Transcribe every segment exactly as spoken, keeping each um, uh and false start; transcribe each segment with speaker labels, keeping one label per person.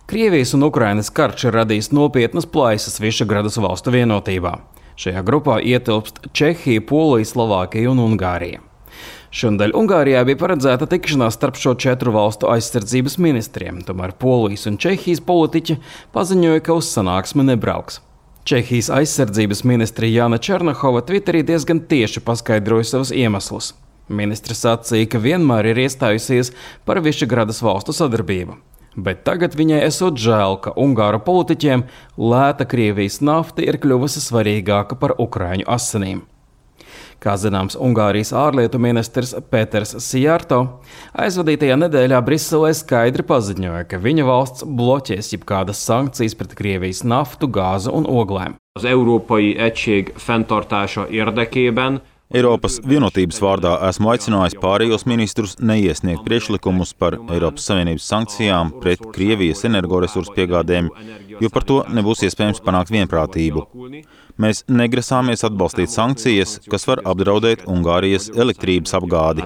Speaker 1: Krievijas un Ukrainas karš ir radījis nopietnas plaisas Višegradas valstu vienotībā. Šajā grupā ietilpst Čehija, Polija, Slovākija un Ungārija. Šonadēļ Ungārijā bija paredzēta tikšanās starp šo četru valstu aizsardzības ministriem, tomēr Polijas un Čehijas politiķi paziņoja, ka uz sanāksmi nebrauks. Čehijas aizsardzības ministre Jana Černahova Twitterī diezgan tieši paskaidroja savus iemeslus. Ministre sacīja, ka vienmēr ir iestājusies par Višegradas valstu sadarbību, bet tagad viņai esot žēl, ka ungāru politiķiem lēta Krievijas nafta ir kļuvusi svarīgāka par ukraiņu asinīm. Kā zināms, Ungārijas ārlietu ministrs Pēters Sijārto aizvadītajā nedēļā Briselē skaidri paziņoja, ka viņa valsts bloķēs jebkādas sankcijas pret Krievijas naftu, gāzu un oglēm.
Speaker 2: Az Európai Egység fenntartása érdekében
Speaker 3: Eiropas vienotības vārdā esmu aicinājis pārējos ministrus neiesniegt priekšlikumus par Eiropas Savienības sankcijām pret Krievijas energoresursu piegādēm, jo par to nebūs iespējams panākt vienprātību. Mēs negrasāmies atbalstīt sankcijas, kas var apdraudēt Ungārijas elektrības apgādi.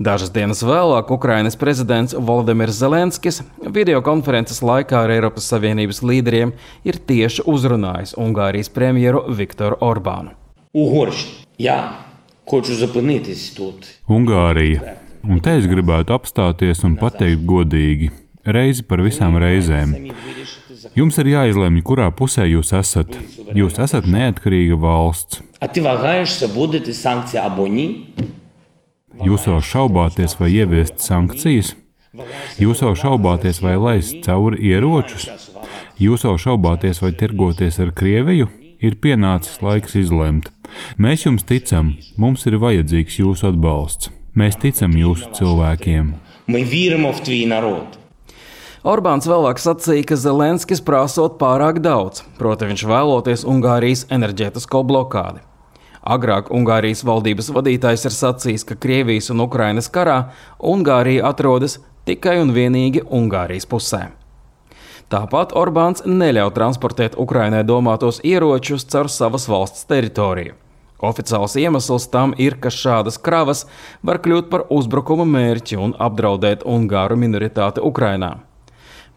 Speaker 1: Dažas dienas vēlāk Ukrainas prezidents Volodimirs Zelenskis videokonferences laikā ar Eiropas Savienības līderiem ir tieši uzrunājis Ungārijas premjeru Viktoru Orbānu.
Speaker 4: Ungārija. Un te es gribētu apstāties un pateikt godīgi, reizi par visām reizēm. Jums ir jāizlemj, kurā pusē jūs esat. Jūs esat neatkarīga valsts. Jūs jau šaubāties, vai ieviest sankcijas? Jūs jau šaubāties, vai laist cauri ieročus? Jūs jau šaubāties, vai tirgoties ar Krieviju? Ir pienācis laiks izlemt. Mēs jums ticam, mums ir vajadzīgs jūsu atbalsts. Mēs ticam jūsu cilvēkiem.
Speaker 1: Orbāns vēlāk sacīja, ka Zelenskis prasot pārāk daudz, proti viņš vēloties Ungārijas enerģētisko blokādi. Agrāk Ungārijas valdības vadītājs ir sacījis, ka Krievijas un Ukrainas karā Ungārija atrodas tikai un vienīgi Ungārijas pusē. Tāpat Orbāns neļauj transportēt Ukrainai domātos ieročus caur savas valsts teritoriju. Oficiāls iemesls tam ir, ka šādas kravas var kļūt par uzbrukuma mērķi un apdraudēt ungāru minoritāti Ukrainā.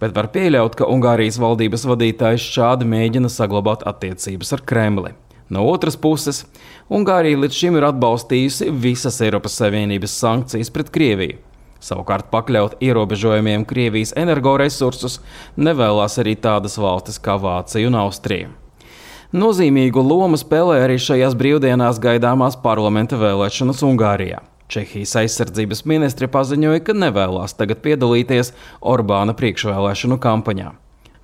Speaker 1: Bet var pieļaut, ka Ungārijas valdības vadītājs šādi mēģina saglabāt attiecības ar Kremli. No otras puses, Ungārija līdz šim ir atbalstījusi visas Eiropas Savienības sankcijas pret Krieviju. Savukārt pakļaut ierobežojumiem Krievijas energoresursus nevēlās arī tādas valstis kā Vācija un Austrija. Nozīmīgu lomu spēlē arī šajās brīvdienās gaidāmās parlamenta vēlēšanas Ungārijā. Čehijas aizsardzības ministre paziņoja, ka nevēlās tagad piedalīties Orbāna priekšvēlēšanu kampaņā.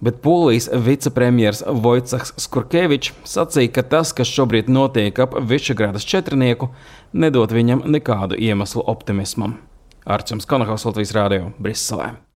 Speaker 1: Bet Polijas vicepremjers Vojcechs Skurkevičs sacīja, ka tas, kas šobrīd notiek ap Višegradas četrnieku, nedod viņam nekādu iemeslu optimismam. Arčuns Konahaus, Latvijas Rādio, Briselē.